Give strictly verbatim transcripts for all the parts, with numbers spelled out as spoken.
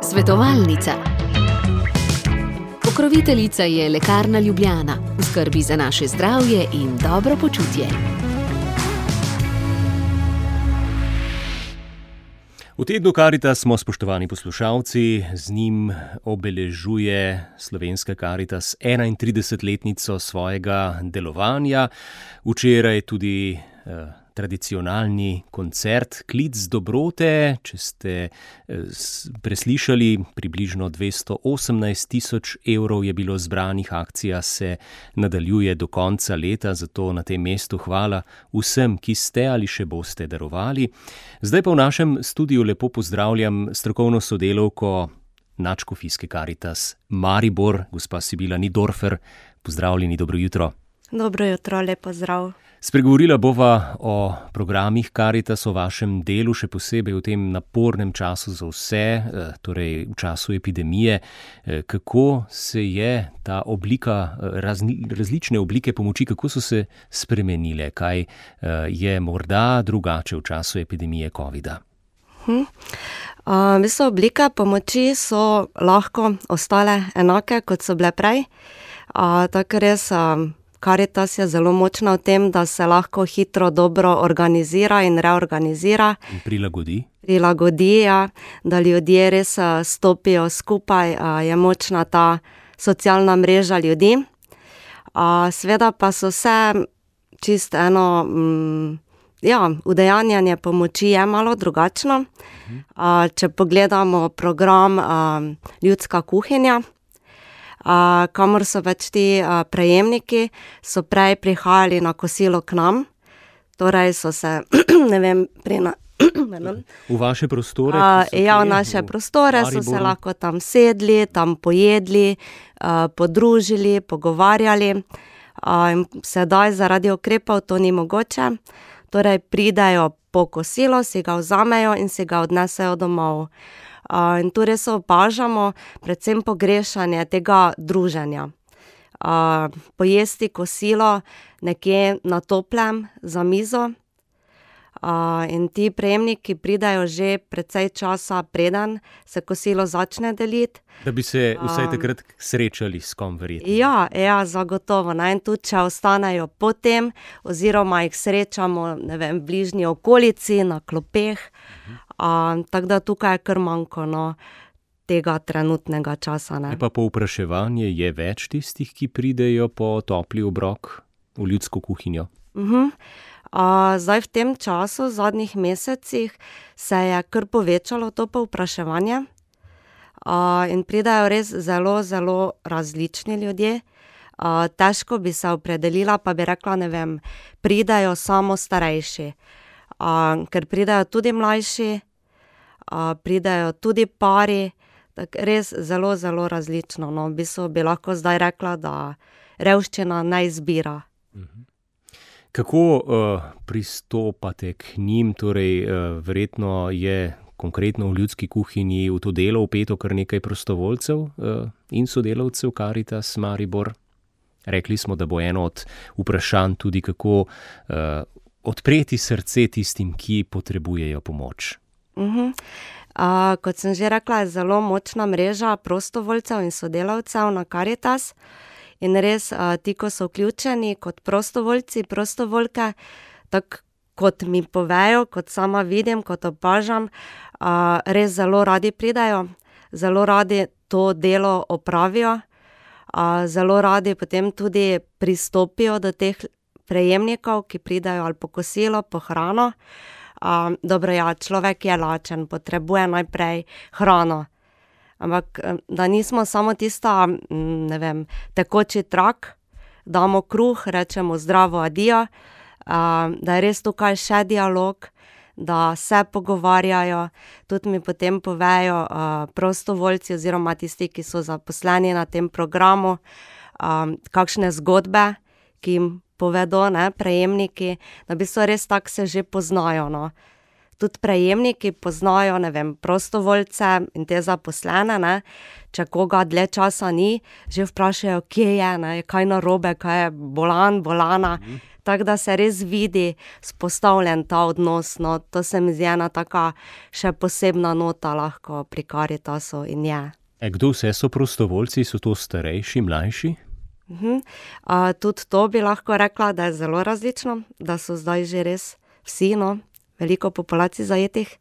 Svetovalnica. Pokroviteljica je Lekarna Ljubljana, v skrbi za naše zdravje in dobro počutje. V tednu Karitas smo, spoštovani poslušalci, z njim obeležuje Slovenska Karitas enaintridesetletnico svojega delovanja. Včeraj tudi eh, tradicionalni koncert Klic dobrote. Če ste eh, preslišali, približno dvesto osemnajst tisoč evrov je bilo zbranih, akcija se nadaljuje do konca leta, zato na tem mestu hvala vsem, ki ste ali še boste darovali. Zdaj pa v našem studiu lepo pozdravljam strokovno sodelavko Nadškofijske Karitas Maribor, gospa Sibila Nidorfer. Pozdravljeni, dobro jutro. Dobro jutro, lepo zdrav. Spregovorila bova o programih Karitas, o vašem delu, še posebej v tem napornem času za vse, torej v času epidemije. Kako se je ta oblika, razni, različne oblike pomoči, kako so se spremenile? Kaj je morda drugače v času epidemije covida? Hm. Uh, mislim, oblike pomoči so lahko ostale enake, kot so bile prej. Uh, tako res... Uh, Karitas je zelo močna v tem, da se lahko hitro, dobro organizira in reorganizira. In prilagodi. Prilagodi, ja, da ljudje res stopijo skupaj, je močna ta socialna mreža ljudi. Seveda pa so vse čisto eno, ja, udejanjanje pomoči je malo drugačno. Če pogledamo program Ljudska kuhinja, Uh, kamor so več ti uh, prejemniki, so prej prihajali na kosilo k nam, torej so se, ne vem, pri na... v vaše prostore? Uh, ja, v naše v prostore Mariboru. So se lahko tam sedli, tam pojedli, uh, podružili, pogovarjali. Uh, in sedaj zaradi ukrepov to ni mogoče, torej pridejo po kosilo, si ga vzamejo in si ga odnesejo domov. Uh, in tu res opažamo predvsem pogrešanje tega druženja. Uh, pojesti kosilo nekje na toplem za mizo uh, in ti prejemniki pridajo že precej časa preden se kosilo začne deliti. Da bi se vsaj takrat srečali s kom verjetno. Ja, ja, zagotovo. Ne? In tudi, če ostanejo potem, oziroma jih srečamo, ne vem, v bližnji okolici, na klopeh, uh-huh. Uh, tako da tukaj je kar manjko, no, tega trenutnega časa. Ne. Je pa povpraševanje, je več tistih, ki pridejo po topli obrok v ljudsko kuhinjo? Uh-huh. Uh, zdaj v tem času, v zadnjih mesecih, se je kar povečalo to povpraševanje uh, in pridajo res zelo, zelo različni ljudje. Uh, težko bi se opredelila, pa bi rekla, ne vem, pridajo samo starejši. Uh, ker pridajo tudi mlajši, uh, pridajo tudi pari, tak res zelo, zelo različno. No, v bistvu bi lahko zdaj rekla, da revščina ne izbira. Kako uh, pristopate k njim? Torej, uh, verjetno je konkretno v ljudski kuhinji v to delo vpeto kar nekaj prostovoljcev uh, in sodelavcev Karitas Maribor. Rekli smo, da bo eno od vprašanj tudi, kako uh, odpreti srce tistim, ki potrebujejo pomoč. Uh-huh. Uh, kot sem že rekla, je zelo močna mreža prostovoljcev in sodelavcev na Karitas. In res, uh, ti, ko so vključeni kot prostovoljci, prostovoljke, tako kot mi povejo, kot sama vidim, kot opažam, uh, res zelo radi pridajo, zelo radi to delo opravijo, uh, zelo radi potem tudi pristopijo do teh prejemnikov, ki pridajo ali po kosilo, po hrano. Um, dobro, ja, človek je lačen, potrebuje najprej hrano. Ampak, da nismo samo tista, ne vem, tekoči trak, damo kruh, rečemo zdravo, adijo, um, da je res tukaj še dialog, da se pogovarjajo, tudi mi potem povejo uh, prostovoljci oziroma tisti, ki so zaposleni na tem programu, um, kakšne zgodbe, ki jim povedo, ne, prejemniki, da bi so res tako se že poznajo, no. Tudi prejemniki poznajo, ne vem, prostovoljce in te zaposlene, ne, če koga dlje časa ni, že vprašajo, kje je, ne, kaj narobe, kaj je bolan, bolana, tako da se res vidi vzpostavljen ta odnos, no, to se mi zdi ena taka še posebna nota lahko pri Karitasu in je. E, kdo vse so prostovoljci? So to starejši, mlajši? Uh-huh. Uh, tudi to bi lahko rekla, da je zelo različno, da so zdaj že res vsi, no, veliko populacij zajetih.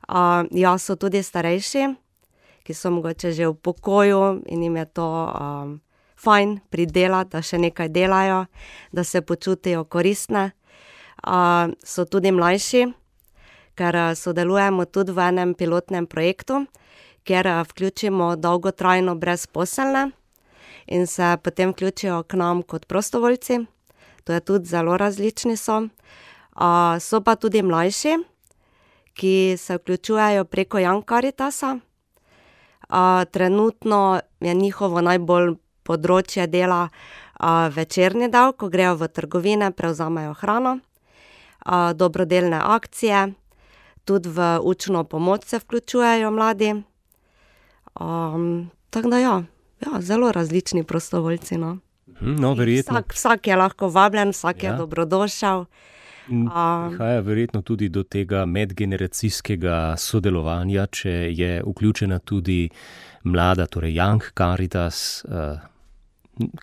Uh, ja, so tudi starejši, ki so mogoče že v pokoju in jim je to um, fajn pridelati, da še nekaj delajo, da se počutijo koristne. Uh, so tudi mlajši, ker sodelujemo tudi v enem pilotnem projektu, kjer vključimo dolgotrajno brezposelne in se potem vključijo k nam kot prostovoljci. To je tudi zelo različni so. Uh, so pa tudi mlajši, ki se vključujejo preko Young Caritasa. Uh, trenutno je njihovo najbolj področje dela uh, večerni del, ko grejo v trgovine, prevzamejo hrano, uh, dobrodelne akcije, tudi v učno pomoč se vključujejo mladi. Um, tako da ja, ja, zelo različni prostovoljci, no. No, verjetno. Vsak, vsak je lahko vabljen, vsak Ja. je dobrodošel. In Um, prihaja verjetno tudi do tega medgeneracijskega sodelovanja, če je vključena tudi mlada, torej Young Caritas, eh,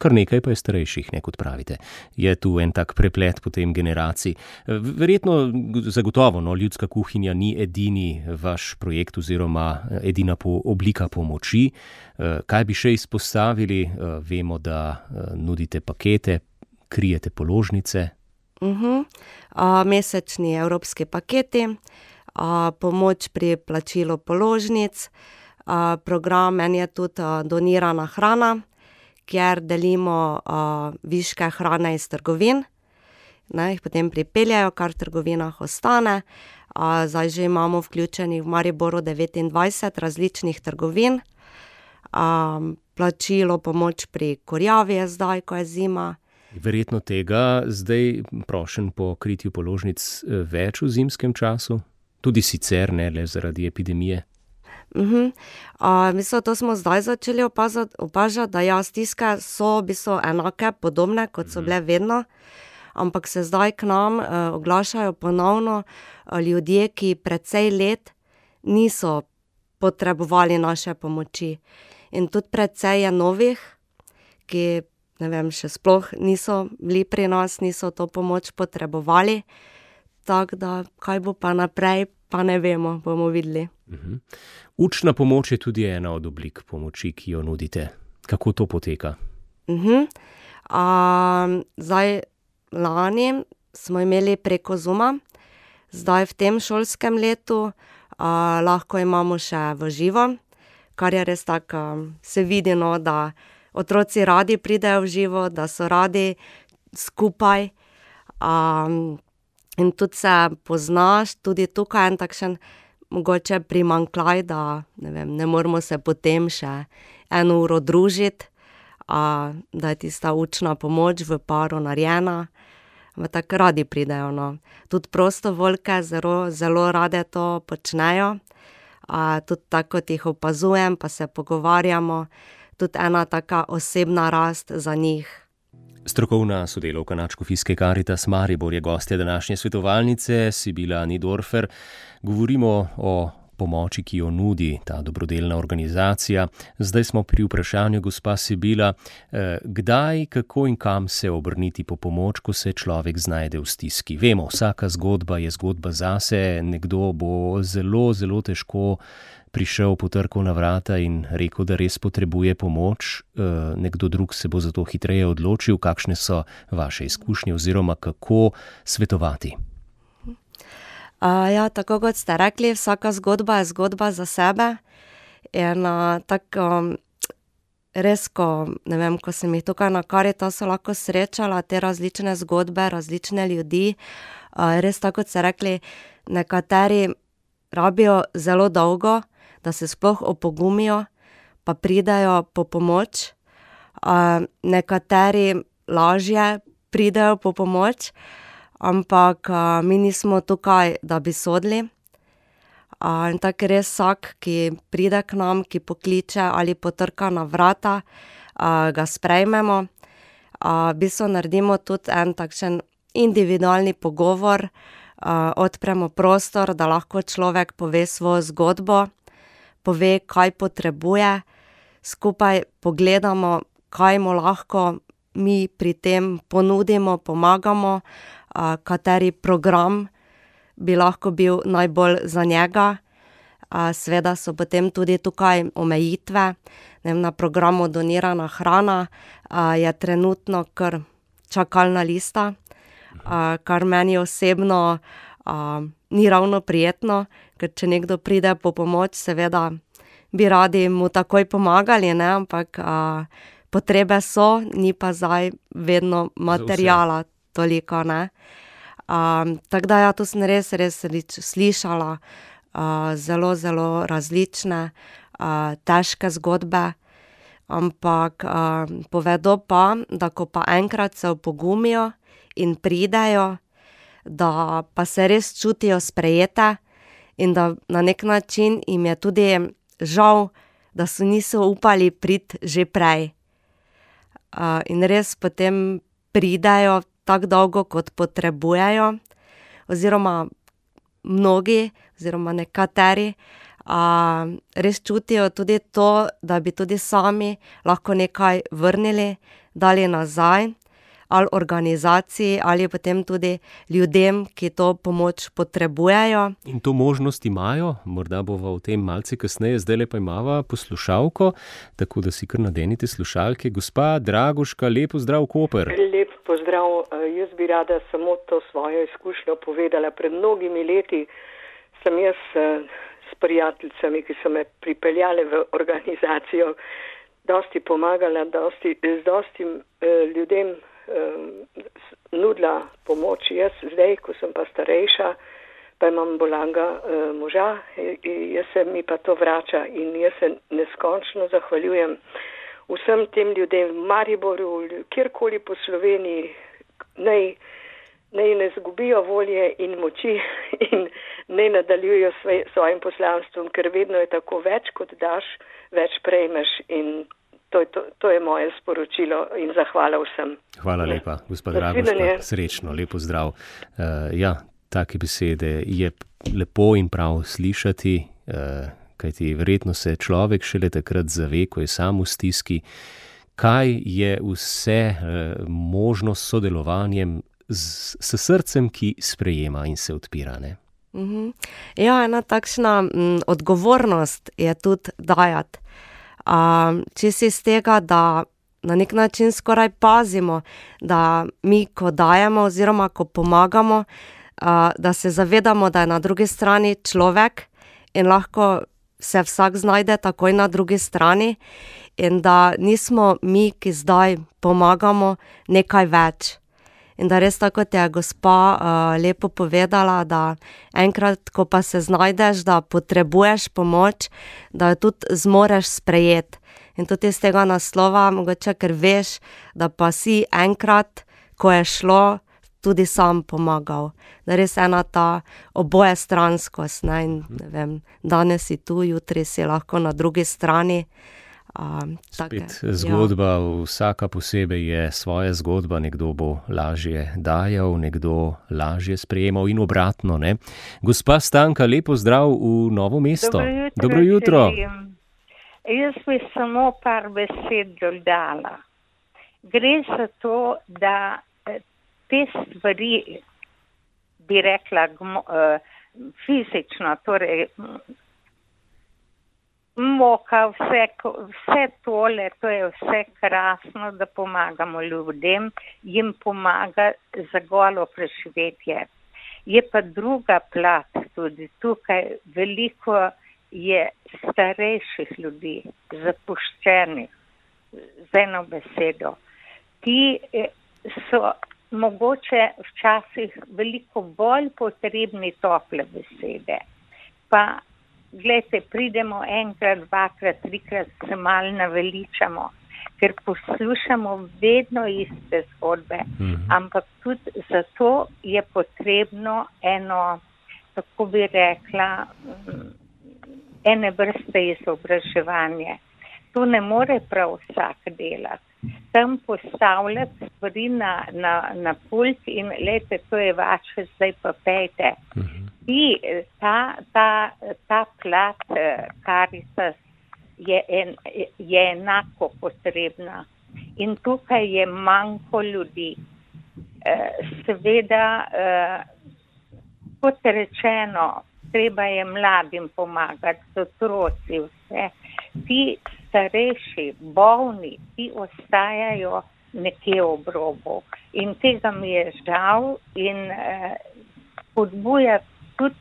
kar nekaj pa je starejših, ne, kot pravite. Je tu en tak preplet potem generacij. Eh, Verjetno, zagotovo, no, ljudska kuhinja ni edini vaš projekt oziroma eh, edina po, oblika pomoči. Eh, Kaj bi še izpostavili? Eh, Vemo, da eh, nudite pakete, krijete položnice. Uh-huh. Uh, mesečni evropski paketi, uh, pomoč pri plačilu položnic, uh, program en je tudi uh, donirana hrana, kjer delimo uh, viške hrane iz trgovin, ne, jih potem pripeljajo, kar v trgovinah ostane. Uh, zdaj že imamo vključenih v Mariboru devetindvajset različnih trgovin, um, plačilo pomoč pri kurjavi je zdaj, ko je zima. Verjetno tega zdaj prošen po kritju položnic eh, več v zimskem času, tudi sicer ne le zaradi epidemije. Uh-huh. Uh, mislim, to smo zdaj začeli opazati, opažati, da ja, stiske so v bistvu enake, podobne, kot so bile vedno, ampak se zdaj k nam uh, oglašajo ponovno uh, ljudje, ki precej let niso potrebovali naše pomoči. In tudi precej je novih, ki ne vem, še sploh niso bili pri nas, niso to pomoč potrebovali, tako da kaj bo pa naprej, pa ne vemo, bomo videli. Mhm. Učna pomoč je tudi ena od oblik pomoči, ki jo nudite. Kako to poteka? Uh-huh. Um, zdaj, lani smo imeli preko Zooma, zdaj v tem šolskem letu uh, lahko imamo še v živo, kar je res tako, um, se vidi, no, da otroci radi pridejo v živo, da so radi skupaj. Um, in tudi se poznaš, tudi tukaj en takšen mogoče primanjkljaj, da ne vem, ne moramo se potem še eno uro družiti, uh, da je tista učna pomoč v paru narejena. Ampak tako radi pridejo, no. Tudi prostovoljke zelo, zelo rade to počnejo. Uh, tudi tako, kot jih opazujem, pa se pogovarjamo, tudi ena taka osebna rast za njih. Strokovna sodelavka Nadškofijske Karitas Maribor je gostja današnje svetovalnice, Sibila Nidorfer. Govorimo o pomoči, ki jo nudi ta dobrodelna organizacija. Zdaj smo pri vprašanju, gospa Sibila, eh, kdaj, kako in kam se obrniti po pomoč, ko se človek znajde v stiski. Vemo, vsaka zgodba je zgodba zase, nekdo bo zelo, zelo težko prišel, potrkal na vrata in rekel, da res potrebuje pomoč, nekdo drug se bo zato hitreje odločil. Kakšne so vaše izkušnje oziroma kako svetovati? Uh, ja, tako kot ste rekli, vsaka zgodba je zgodba za sebe. In uh, tako res, ko, ne vem, ko sem jih tukaj na Karitasu lahko srečala, te različne zgodbe, različne ljudi, uh, res tako kot ste rekli, nekateri rabijo zelo dolgo, da se sploh opogumijo, pa pridejo po pomoč. Uh, nekateri lažje pridejo po pomoč, ampak uh, mi nismo tukaj, da bi sodili. Uh, in tako res vsak, ki pride k nam, ki pokliče ali potrka na vrata, uh, ga sprejmemo. Uh, v bistvu naredimo tudi en takšen individualni pogovor, uh, odpremo prostor, da lahko človek pove svojo zgodbo, pove, kaj potrebuje, skupaj pogledamo, kaj mu lahko mi pri tem ponudimo, pomagamo, uh, kateri program bi lahko bil najbolj za njega. Uh, seveda so potem tudi tukaj omejitve. Ne vem, na programu Donirana hrana uh, je trenutno kar čakalna lista, uh, kar meni osebno uh, ni ravno prijetno, ker če nekdo pride po pomoč, seveda bi radi mu takoj pomagali, ne? Ampak uh, potrebe so, ni pa zdaj vedno materijala toliko, ne. Um, tako da ja, tu sem res, res slišala uh, zelo, zelo različne, uh, težke zgodbe, ampak uh, povedo pa, da ko pa enkrat se opogumijo in pridejo, da pa se res čutijo sprejete in da na nek način jim je tudi žal, da so niso upali priti že prej. Uh, in res potem pridejo tako dolgo, kot potrebujejo, oziroma mnogi, oziroma nekateri, uh, res čutijo tudi to, da bi tudi sami lahko nekaj vrnili, dali nazaj, ali organizaciji, ali potem tudi ljudem, ki to pomoč potrebujejo. In to možnost imajo, morda bova o tem malce kasneje, zdajle pa imava poslušalko, tako da si kar nadenite slušalke. Gospa Dragoška, lep pozdrav, Koper. Lep pozdrav, jaz bi rada samo to svojo izkušnjo povedala. Pred mnogimi leti sem jaz s prijateljicami, ki so me pripeljale v organizacijo, dosti pomagala, dosti, z dosti ljudem nudila pomoč. Jaz zdaj, ko sem pa starejša, pa imam bolanga uh, moža, jaz se mi pa to vrača in jaz se neskončno zahvaljujem vsem tem ljudem v Mariboru, kjerkoli po Sloveniji, naj, naj ne zgubijo volje in moči in ne nadaljujo svoj, svojim poslanstvom, ker vedno je tako, več kot daš, več prejmeš in To je, to, to je moje sporočilo in zahvala vsem. Hvala lepa, gospod Dragoška. Srečno, lepo zdrav. Uh, ja, take besede je lepo in prav slišati, uh, kajti verjetno se človek šele takrat zave, ko je sam v stiski, kaj je vse uh, možno s sodelovanjem s, s srcem, ki sprejema in se odpira, ne? Mm-hmm. Ja, ena takšna m, odgovornost je tudi dajati. Uh, če si iz tega, da na nek način skoraj pazimo, da mi, ko dajemo oziroma ko pomagamo, uh, da se zavedamo, da je na drugi strani človek in lahko se vsak znajde takoj na drugi strani in da nismo mi, ki zdaj pomagamo, nekaj več. In da res tako, kot je gospa uh, lepo povedala, da enkrat, ko pa se znajdeš, da potrebuješ pomoč, da jo tudi zmoreš sprejeti. In tudi iz tega naslova, mogoče, ker veš, da pa si enkrat, ko je šlo, tudi sam pomagal. Da res ena ta oboje stranskost, ne, in ne vem, danes si tu, jutri si lahko na drugi strani. Um, Spet take, zgodba, ja. Vsaka posebej je svoja zgodba, nekdo bo lažje dajal, nekdo lažje sprejemal in obratno, ne. Gospa Stanka, lepo zdrav v Novo mesto. Dobro jutro. Dobro jutro. Jaz bi samo par besed dodala. Gre za to, da te stvari, bi rekla, fizično, torej moka, vse, vse tole, to je vse krasno, da pomagamo ljudem, jim pomaga za golo preživetje. Je pa druga plat tudi tukaj, veliko je starejših ljudi, zapuščenih, z eno besedo. Ti so mogoče včasih veliko bolj potrebni tople besede. Pa glejte, pridemo enkrat, dvakrat, trikrat, se malo naveličamo, ker poslušamo vedno iste zgodbe, mm-hmm. ampak tudi zato je potrebno eno, tako bi rekla, ene vrste izobraževanje. To ne more prav vsak delati. Tam postavljati stvari na, na, na pult in lejte, to je vaše, zdaj pa pejte. Mhm. I ta, ta, ta plat Caritas je, en, je enako potrebna in tukaj je manjko ljudi. Seveda, kot rečeno, treba je mladim pomagati, otroci, vse. Ti starejši, bolni, ti ostajajo nekje ob robu. In tega mi je žal in eh, podbuja tudi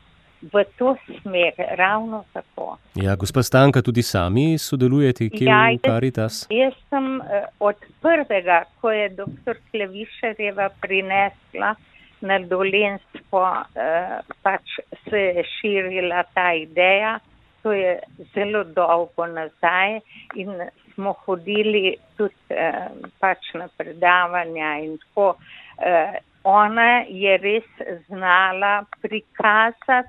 v to smer, ravno tako. Ja, gospa Stanka, tudi sami sodelujete kje ja, v Caritas? Jaz, jaz sem eh, od prvega, ko je doktor Klevišarjeva prinesla na Dolenjsko, eh, pač se je širila ta ideja, to je zelo dolgo nazaj in smo hodili tudi eh, pač na predavanja in tako. Eh, ona je res znala prikazati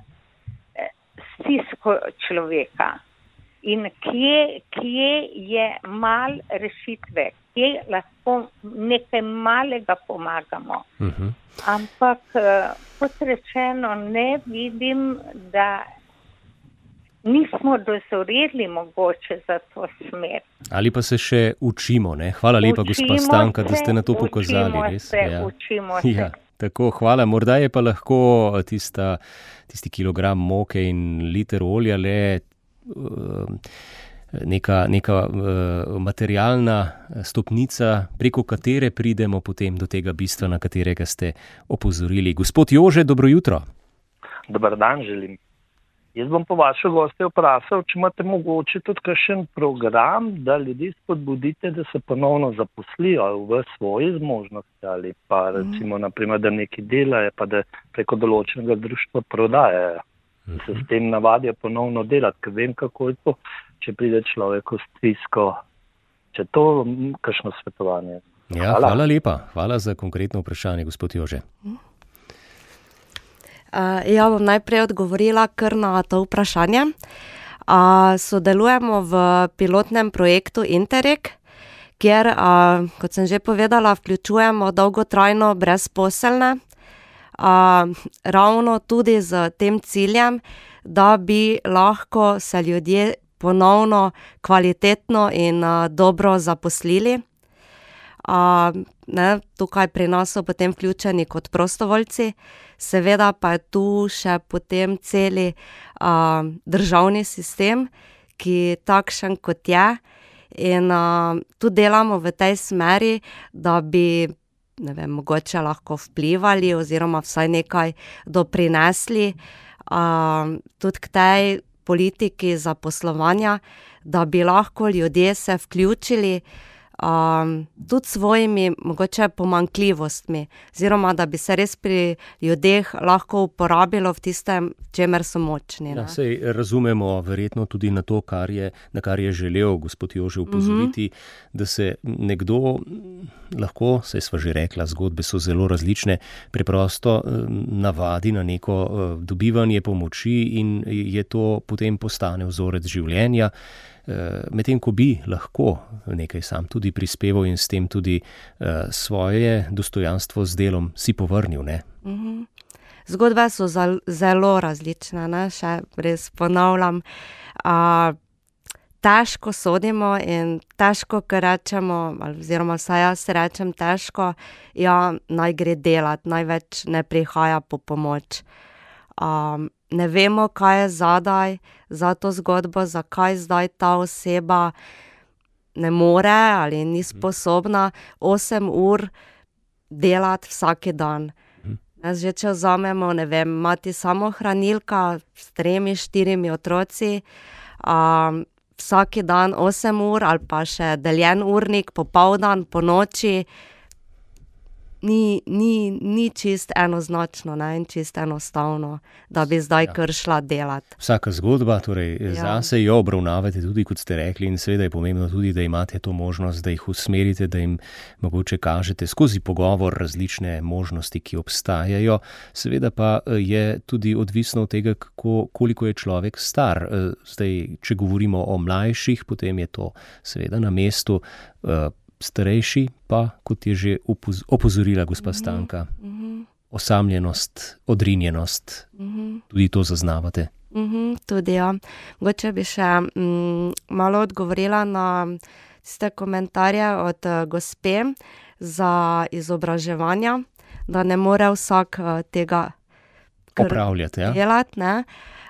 eh, stisko človeka in kje, kje je mal rešitve, kje lahko nekaj malega pomagamo. Uh-huh. Ampak, kot rečeno, ne vidim, da nismo dozoreli mogoče za to smer. Ali pa se še učimo, ne? Hvala lepa, učimo gospa Stanka, se, da ste na to pokazali. Učimo res. se, ja. učimo se. Ja, tako, hvala. Morda je pa lahko tista, tisti kilogram moke in liter olja le uh, neka, neka uh, materialna stopnica, preko katere pridemo potem do tega bistva, na katerega ste opozorili. Gospod Jože, dobro jutro. Dobar dan želim. Jaz bom po vaše goste vprašal, če imate mogoče tudi kakšen program, da ljudi spodbudite, da se ponovno zaposlijo v svoji zmožnosti ali pa recimo, naprimer, da nekaj delajo, pa da preko določenega društva prodajajo. Da se s tem navadijo ponovno delati, ker vem, kako je to, če pride človek v stisko. Če to, kakšno svetovanje. Ja, hvala. hvala lepa. Hvala za konkretno vprašanje, gospod Jože. Uh, ja, bom najprej odgovorila kar na to vprašanje. Uh, sodelujemo v pilotnem projektu Interreg, kjer, uh, kot sem že povedala, vključujemo dolgotrajno brezposelne, uh, ravno tudi z tem ciljem, da bi lahko se ljudje ponovno kvalitetno in uh, dobro zaposlili. Uh, ne, tukaj pri nas so potem vključeni kot prostovoljci, seveda pa je tu še potem celi uh, državni sistem, ki takšen kot je in uh, tu delamo v tej smeri, da bi ne vem, mogoče lahko vplivali oziroma vsaj nekaj doprinesli uh, tudi k tej politiki zaposlovanja, da bi lahko ljudje se vključili Um, tudi svojimi mogoče pomanjkljivostmi, oziroma da bi se res pri ljudeh lahko uporabilo v tistem, čemer so močni. Ja, sej razumemo verjetno tudi na to, kar je, na kar je želel gospod Jože upozoriti, mm-hmm. da se nekdo lahko, saj sva že rekla, zgodbe so zelo različne, preprosto navadi na neko dobivanje pomoči in je to potem postane vzorec življenja. Medtem ko bi lahko nekaj sam tudi prispeval in s tem tudi uh, svoje dostojanstvo z delom si povrnil, ne? Mm-hmm. Zgodbe so zal, zelo različne, ne? Še res ponavljam. Uh, težko sodimo in težko, ker rečemo, oziroma vsaj jaz rečem težko, ja, naj gre delat, največ ne prihaja po pomoč. Um, ne vemo, kaj je zadaj za to zgodbo, zakaj zdaj ta oseba ne more ali ni sposobna osem ur delati vsak dan. Jaz že če vzamemo, ne vem, mati samohranilka s tremi, štirimi otroci, um, vsak dan osem ur ali pa še deljen urnik, popoldan, po noči, Ni, ni, ni čist enoznačno, ne, in čist enostavno, da bi zdaj ja. kar šla delati. Vsaka zgodba, torej ja. zase jo obravnavate tudi, kot ste rekli, in seveda je pomembno tudi, da imate to možnost, da jih usmerite, da jim mogoče kažete skozi pogovor različne možnosti, ki obstajajo. Seveda pa je tudi odvisno od tega, kako, koliko je človek star. Zdaj, če govorimo o mlajših, potem je to seveda na mestu. starejši pa, kot je že opoz- opozorila gospa Stanka, Mhm. osamljenost, odrinjenost, Mhm. tudi to zaznavate. Mhm, tudi ja. Mogoče bi še mm, malo odgovorila na tiste komentarje od eh, gospe za izobraževanja, da ne more vsak eh, tega kar Opravljate, ja? delati, ne.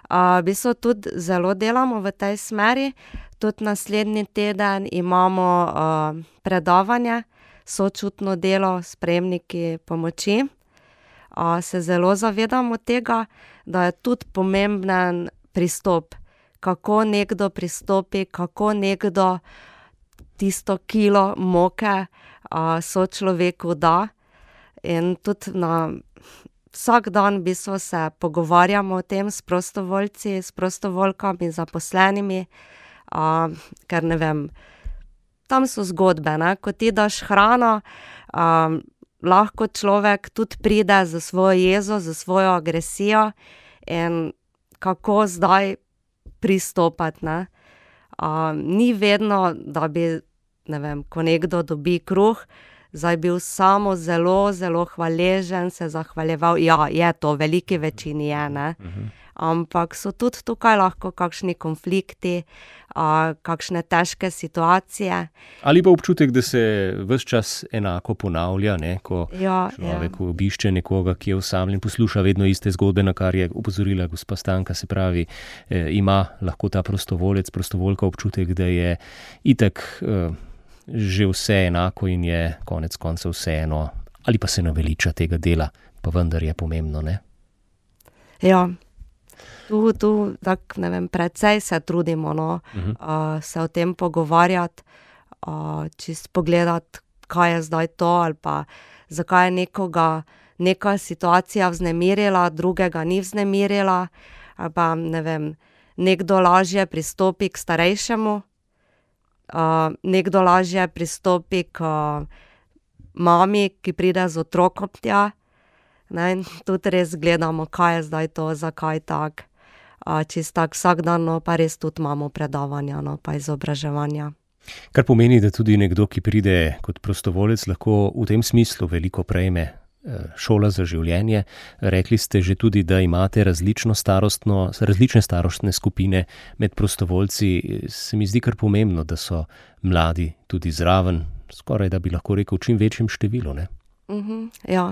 Uh, v bistvu tudi zelo delamo v tej smeri. Tudi naslednji teden imamo uh, predavanje, sočutno delo s prejemniki pomoči. Uh, se zelo zavedamo tega, da je tudi pomemben pristop, kako nekdo pristopi, kako nekdo tisto kilo moke uh, sočloveku da. In tudi na vsak dan v bistvu se pogovarjamo o tem s prostovoljci, s prostovoljkami, zaposlenimi, uh, ker ne vem, tam so zgodbe, ne, ko ti daš hrano, um, lahko človek tudi pride za svojo jezo, za svojo agresijo in kako zdaj pristopati, ne. Uh, ni vedno, da bi, ne vem, ko nekdo dobi kruh, zdaj bil samo zelo, zelo hvaležen, se zahvaljeval. Ja, je to, v veliki večini je, ne. Ampak so tudi tukaj lahko kakšni konflikti, uh, kakšne težke situacije. Ali pa občutek, da se ves čas enako ponavlja, ne? Ko Ja, človek obišče nekoga, ki je osamljen, posluša vedno iste zgodbe, na kar je opozorila gospa Stanka, se pravi, eh, ima lahko ta prostovolec, prostovoljka občutek, da je itak eh, že vse enako in je konec koncev vseeno, ali pa se naveliča tega dela, pa vendar je pomembno, ne? Ja. Tu, tu, tako, ne vem, precej se trudimo, no, uh, se o tem pogovarjati, uh, čist pogledati, kaj je zdaj to, ali pa zakaj je nekoga neka situacija vznemirila, drugega ni vznemirila, ali pa, ne vem, nekdo lažje pristopi k starejšemu, uh, nekdo lažje pristopi k uh, mami, ki pride z otrokom tja, ne, in tudi res gledamo, kaj je zdaj to, zakaj tak. Uh, čist tak vsak dan, no, pa res tudi imamo predavanja, no, pa izobraževanja. Kar pomeni, da tudi nekdo, ki pride kot prostovolec, lahko v tem smislu veliko prejme. Šola za življenje. Rekli ste že tudi, da imate različno starostno, različne starostne skupine med prostovoljci. Se mi zdi kar pomembno, da so mladi tudi zraven, skoraj da bi lahko rekel v čim večjem številu, ne? Mhm, ja.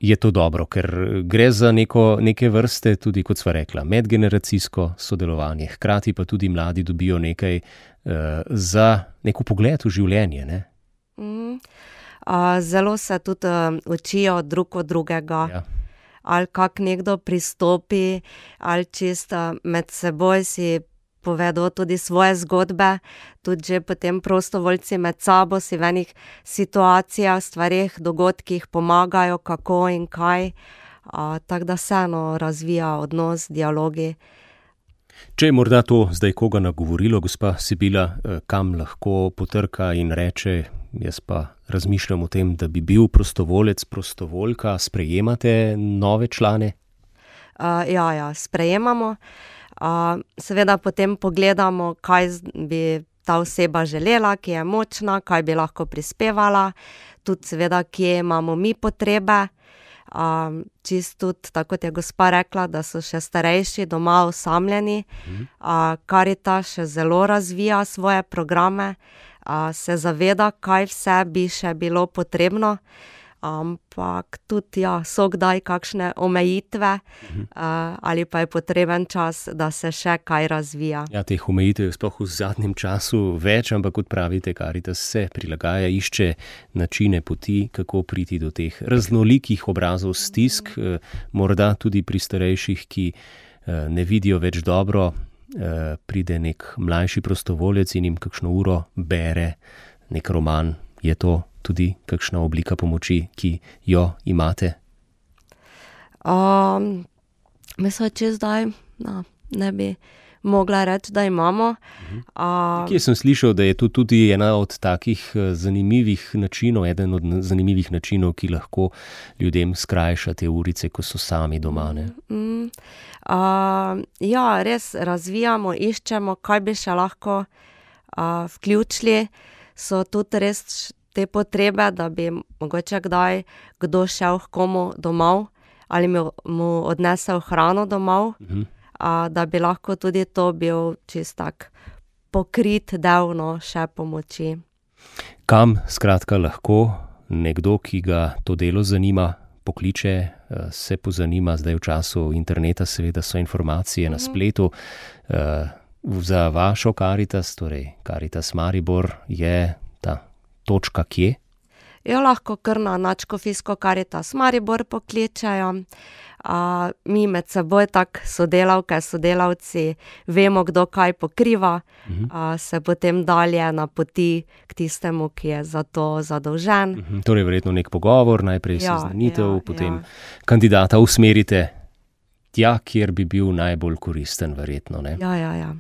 Je to dobro, ker gre za neko, neke vrste, tudi kot sva rekla, medgeneracijsko sodelovanje. Hkrati pa tudi mladi dobijo nekaj uh, za neko pogled v življenje, ne? Mhm. Uh, zelo se tudi uh, učijo drug od drugega, Ja. ali kak nekdo pristopi, ali čisto med seboj si povedo tudi svoje zgodbe, tudi že potem prostovoljci med sabo si v enih situacijah, stvareh, dogodkih pomagajo, kako in kaj. Uh, tako da se eno razvija odnos, dialogi. Če je morda to zdaj koga nagovorilo, gospa Sibila, eh, kam lahko potrka in reče, jaz pa razmišljam o tem, da bi bil prostovolec, prostovoljka, sprejemate nove člane? Uh, ja, ja, sprejemamo. Uh, seveda potem pogledamo, kaj z- bi ta oseba želela, ki je močna, kaj bi lahko prispevala, tudi seveda, kje imamo mi potrebe. Um, čisto tudi, tako kot je gospa rekla, da so še starejši doma osamljeni. Uh, Karitas še zelo razvija svoje programe, uh, se zaveda, kaj vse bi še bilo potrebno. Ampak tudi, ja, so kdaj kakšne omejitve, uh, ali pa je potreben čas, da se še kaj razvija. Ja, teh omejitev je sploh v zadnjem času več, ampak kot pravite, Karitas se prilagaja, išče načine, poti, kako priti do teh raznolikih obrazov stisk, eh, morda tudi pri starejših, ki eh, ne vidijo več dobro, eh, pride nek mlajši prostovolec in jim kakšno uro bere nek roman. Je to tudi kakšna oblika pomoči, ki jo imate? Um, mislim, če zdaj no, ne bi mogla reči, da imamo. Uh, Kje sem slišal, da je to tudi ena od takih eh, zanimivih načinov, eden od na- zanimivih načinov, ki lahko ljudem skrajša te urice, ko so sami doma, ne? mm, uh, ja, res razvijamo, iščemo, kaj bi še lahko uh, vključili. so tudi res te potrebe, da bi mogoče kdaj kdo šel k komu domov ali mu, mu odnesel hrano domov, mhm. a, da bi lahko tudi to bil čist tak pokrit del, no, še pomoči. Kam skratka lahko nekdo, ki ga to delo zanima, pokliče, se pozanima, zdaj v času interneta seveda so informacije na spletu. Za vašo Karitas, torej Karitas Maribor, je ta točka kje? Jo, lahko kar na Nadškofijsko Karitas Maribor pokličajo. A, mi med seboj tak sodelavke, sodelavci vemo, kdo kaj pokriva, uh-huh. a, se potem dalje napoti k tistemu, ki je za to zadolžen. Uh-huh. Torej verjetno nek pogovor, najprej ja, seznanitev, ja, potem ja. kandidata usmerite tja, kjer bi bil najbolj koristen, verjetno, ne? Ja, ja, ja.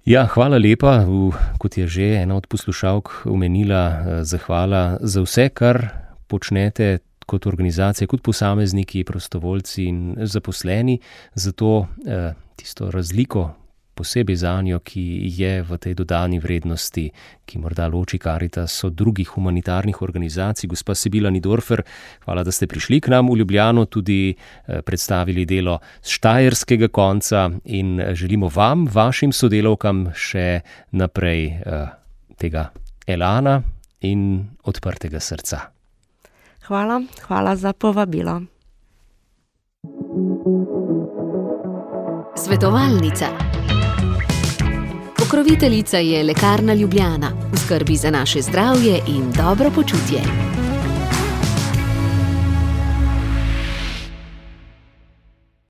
Ja, hvala lepa, v, kot je že ena od poslušalk omenila, zahvala za vse, kar počnete kot organizacije, kot posamezniki, prostovoljci in zaposleni, zato eh, tisto razliko posebej zanjo, ki je v tej dodani vrednosti, ki morda loči Karitas od drugih humanitarnih organizacij. Gospa Sibila Nidorfer, hvala, da ste prišli k nam v Ljubljano, tudi eh, predstavili delo z štajerskega konca in želimo vam, vašim sodelavkam še naprej eh, tega elana in odprtega srca. Hvala, hvala za povabilo. Svetovalnica. Pokroviteljica je Lekarna Ljubljana, v skrbi za naše zdravje in dobro počutje.